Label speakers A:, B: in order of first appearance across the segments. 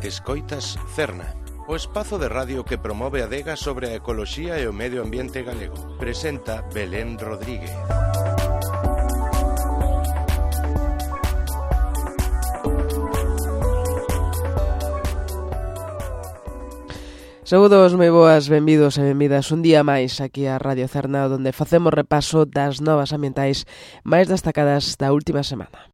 A: Escoitas Cerna, o espazo de radio que promove a adega sobre a ecoloxía e o medio ambiente galego. Presenta Belén Rodríguez.
B: Saúdos moi boas, benvidos e benvidas un día máis aquí a Radio Cerna, onde facemos repaso das novas ambientais máis destacadas da última semana.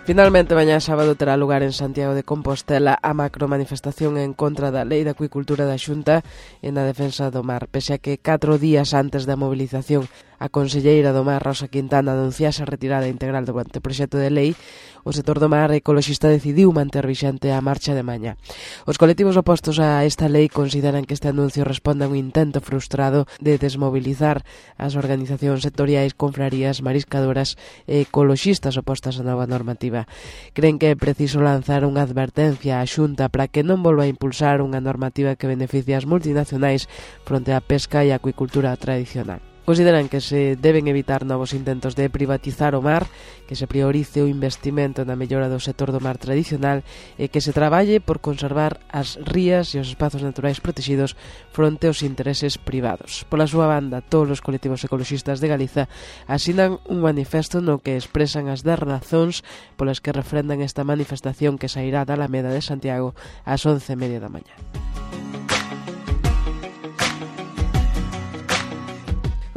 B: Finalmente, mañá sábado terá lugar en Santiago de Compostela a macromanifestación en contra da Lei de Acuicultura da Xunta e na defensa do mar, pese a que 4 días antes da movilización a conselleira do Mar, Rosa Quintana, anunciase a retirada integral do anteproxecto de lei, o sector do mar ecoloxista decidiu manter vixente a marcha de mañá. Os colectivos opostos a esta lei consideran que este anuncio responde a un intento frustrado de desmobilizar as organizacións sectoriais, confrarías, mariscadoras e ecoloxistas opostas á nova normativa. Creen que é preciso lanzar unha advertencia á Xunta para que non volva a impulsar unha normativa que beneficie as multinacionais fronte á pesca e a acuicultura tradicional. Consideran que se deben evitar novos intentos de privatizar o mar, que se priorice o investimento na mellora do sector do mar tradicional e que se traballe por conservar as rías e os espazos naturais protegidos fronte aos intereses privados. Pola súa banda, todos os colectivos ecoloxistas de Galiza asinan un manifesto no que expresan as 10 razóns polas que refrendan esta manifestación que sairá da Alameda de Santiago ás 11:30 da mañá.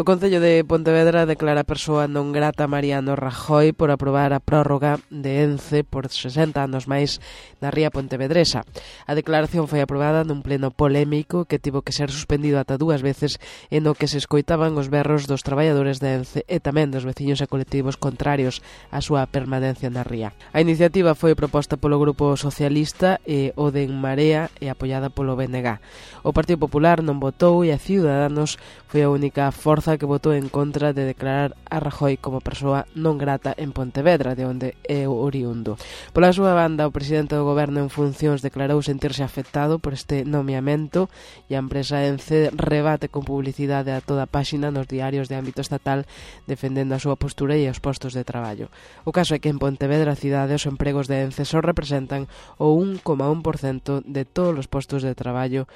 B: O Concello de Pontevedra declara persoa non grata Mariano Rajoy por aprobar a prórroga de ENCE por 60 anos máis na ría pontevedresa. A declaración foi aprobada nun pleno polémico que tivo que ser suspendido ata 2 veces e no que se escoitaban os berros dos traballadores de ENCE e tamén dos veciños e colectivos contrarios á súa permanencia na ría. A iniciativa foi proposta polo Grupo Socialista e o de En Marea e apoiada polo BNG. O Partido Popular non votou e a Ciudadanos foi a única forza que votou en contra de declarar a Rajoy como persoa non grata en Pontevedra, de onde é oriundo. Pola súa banda, o presidente do Goberno en funcións declarou sentirse afectado por este nomeamento e a empresa ENCE rebate con publicidade a toda a páxina nos diarios de ámbito estatal defendendo a súa postura e os postos de traballo. O caso é que en Pontevedra, cidade, os empregos de ENCE só representan o 1,1% de todos os postos de traballo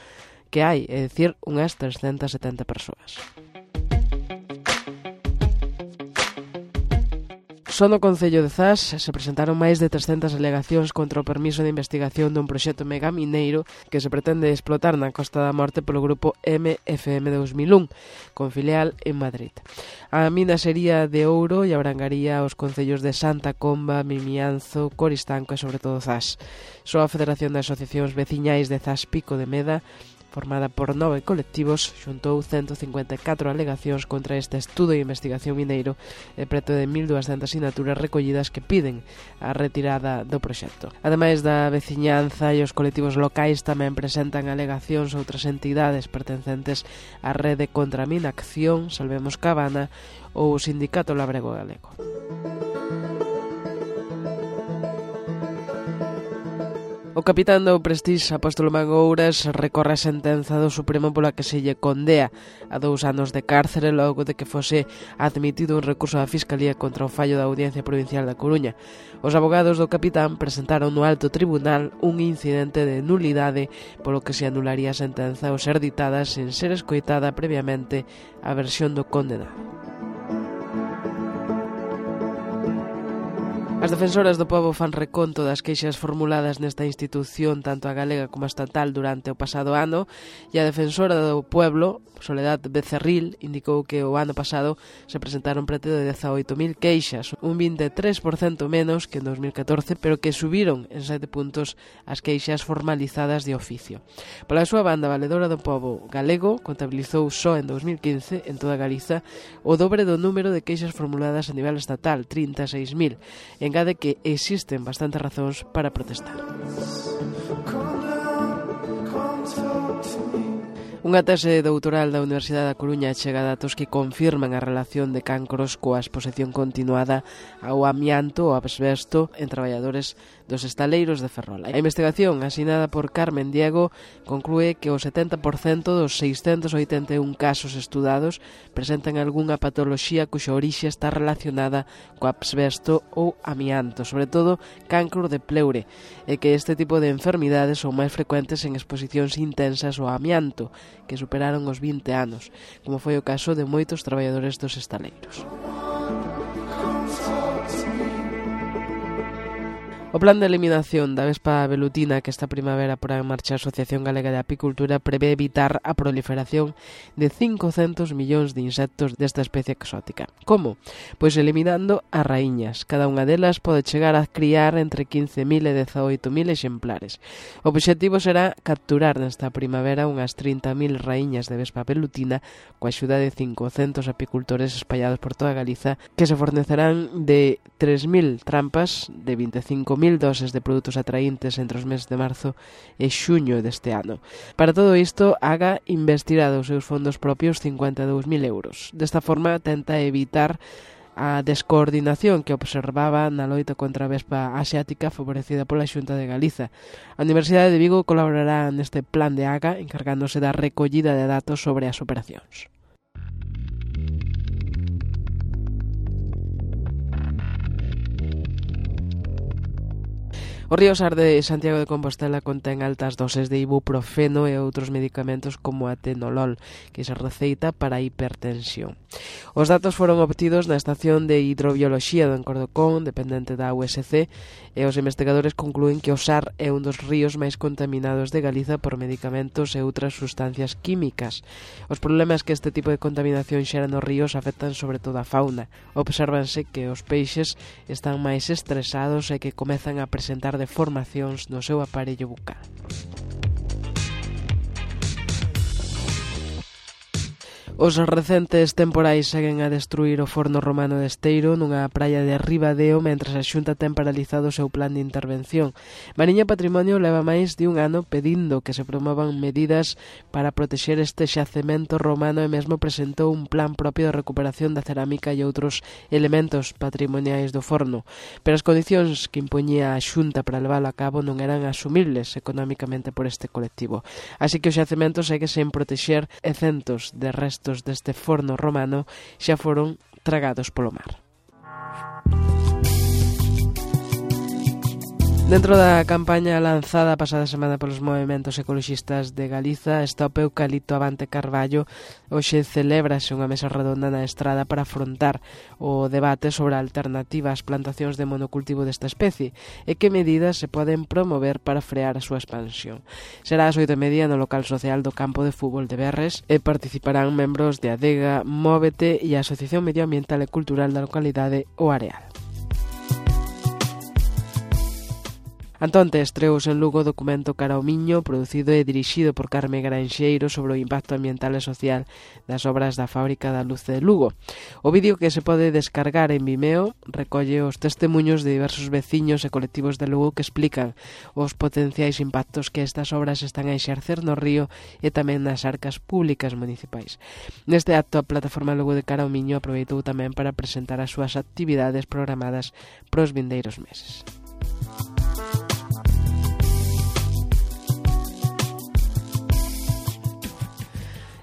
B: que hai, é dicir, unhas 370 persoas. Só no Concello de Zas se presentaron máis de 300 alegacións contra o permiso de investigación dun proxecto megamineiro que se pretende explotar na Costa da Morte polo grupo MFM 2001, con filial en Madrid. A mina sería de ouro e abrangaría os concellos de Santa Comba, Mimianzo, Coristanco e sobre todo Zas. Só a Federación de Asociacións Veciñais de Zas Pico de Meda, formada por 9 colectivos, xuntou 154 alegacións contra este estudo e investigación mineiro e preto de 1.200 sinaturas recollidas que piden a retirada do proxecto. Ademais da veciñanza e os colectivos locais tamén presentan alegacións outras entidades pertencentes á rede contra a Minacción, Salvemos Cabana ou o Sindicato Labrego Galego. O capitán do Prestige, Apóstolo Mangouras, recorre a sentenza do Supremo pola que se lle condea a 2 anos de cárcere logo de que fose admitido un recurso da Fiscalía contra o fallo da Audiencia Provincial da Coruña. Os abogados do capitán presentaron no alto tribunal un incidente de nulidade polo que se anularía a sentenza ao ser ditada sen ser escoitada previamente a versión do condenado. As defensoras do pobo fan reconto das queixas formuladas nesta institución, tanto a galega como a estatal, durante o pasado ano, e a defensora do pueblo, Soledad Becerril, indicou que o ano pasado se presentaron preto de 18.000 queixas, un 23% menos que en 2014, pero que subiron en 7 puntos as queixas formalizadas de oficio. Pola súa banda, a Valedora do Pobo galego contabilizou só en 2015, en toda Galiza, o dobre do número de queixas formuladas a nivel estatal, 36.000. Engade que existen bastantes razóns para protestar. Unha tese doutoral da Universidade da Coruña chega a datos que confirman a relación de cancros coa exposición continuada ao amianto ou asbesto en traballadores dos estaleiros de Ferrol. A investigación, asinada por Carmen Diego, conclúe que o 70% dos 681 casos estudados presentan algunha patoloxía cuxa orixe está relacionada co asbesto ou amianto, sobre todo cancro de pleure, e que este tipo de enfermidades son máis frecuentes en exposicións intensas ao amianto, que superaron os 20 anos, como foi o caso de moitos traballadores dos estaleiros. O plan de eliminación da vespa velutina que esta primavera porá en marcha a Asociación Galega de Apicultura prevé evitar a proliferación de 500 millóns de insectos desta especie exótica. Como? Pois eliminando as raíñas. Cada unha delas pode chegar a criar entre 15.000 e 18.000 exemplares. O obxectivo será capturar nesta primavera unhas 30.000 raíñas de vespa velutina coa axuda de 500 apicultores espallados por toda Galiza que se fornecerán de 3.000 trampas de 25.000 doses de produtos atraíntes entre os meses de marzo e xuño deste ano. Para todo isto, AGA investirá dos seus fondos propios 52.000 euros. Desta forma, tenta evitar a descoordinación que observaba na loita contra a vespa asiática favorecida pola Xunta de Galiza. A Universidade de Vigo colaborará neste plan de AGA encargándose da recollida de datos sobre as operacións. O río Sar de Santiago de Compostela contén altas doses de ibuprofeno e outros medicamentos como a atenolol, que se receita para a hipertensión. Os datos foron obtidos na Estación de Hidrobioloxía do Encordocón, dependente da USC, e os investigadores conclúen que o Sar é un dos ríos máis contaminados de Galiza por medicamentos e outras sustancias químicas. Os problemas que este tipo de contaminación xera nos ríos afectan sobre todo a fauna. Obsérvanse que os peixes están máis estresados e que comezan a presentar deformacións no seu aparello bucal. Os recentes temporais seguen a destruir o forno romano de Esteiro nunha praia de Ribadeo mentres a Xunta ten paralizado o seu plan de intervención. Mariña Patrimonio leva máis de un ano pedindo que se promovan medidas para protexer este xacemento romano e mesmo presentou un plan propio de recuperación da cerámica e outros elementos patrimoniais do forno. Pero as condicións que impoñía a Xunta para leválo a cabo non eran asumibles económicamente por este colectivo. Así que o xacemento segue sen protexer e centos de restos deste forno romano xa foron tragados polo mar. Dentro da campaña lanzada a pasada semana polos movementos ecoloxistas de Galiza, Stop Eucalipto Avante Carballo, hoxe celébrase unha mesa redonda na Estrada para afrontar o debate sobre a alternativa ás plantacións de monocultivo desta especie e que medidas se poden promover para frear a súa expansión. Será ás 8:30 no local social do campo de fútbol de Berres e participarán membros de Adega, Móvete e a Asociación Medioambiental e Cultural da localidade O Areal. Antonte estreouse en Lugo o documento Cara ao Miño, producido e dirixido por Carme Granxeiro sobre o impacto ambiental e social das obras da Fábrica da Luz de Lugo. O vídeo que se pode descargar en Vimeo recolle os testemuños de diversos veciños e colectivos de Lugo que explican os potenciais impactos que estas obras están a exercer no río e tamén nas arcas públicas municipais. Neste acto, a Plataforma Lugo de Cara ao Miño aproveitou tamén para presentar as súas actividades programadas pros vindeiros meses.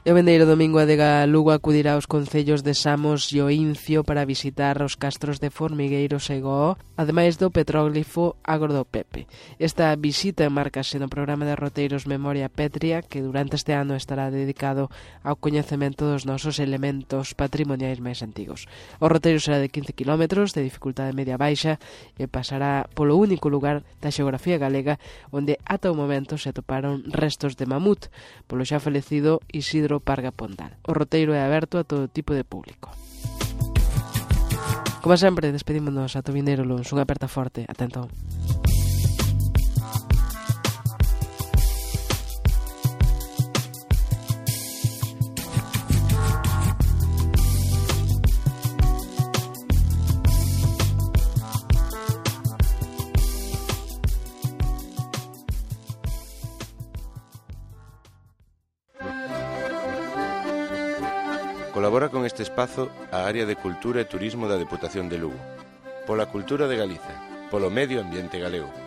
B: E o vendeiro domingo Adega Lugo acudirá aos concellos de Samos e Oincio para visitar os castros de Formigueiros e Goo, ademais do petróglifo Agro do Pepe. Esta visita enmárcase no programa de roteiros Memoria Pétrea, que durante este ano estará dedicado ao coñecemento dos nosos elementos patrimoniais máis antigos. O roteiro será de 15 km, de dificultade media-baixa, e pasará polo único lugar da xeografía galega onde ata o momento se atoparon restos de mamut, polo xa falecido Isidro Parga Pondal. O roteiro é aberto a todo tipo de público. Como sempre, despedímonos ata o vindeiro luns. Unha aperta forte. Ata entón.
A: dedicaron este espazo á área de Cultura e Turismo da Deputación de Lugo. Pola cultura de Galiza, polo medio ambiente galego.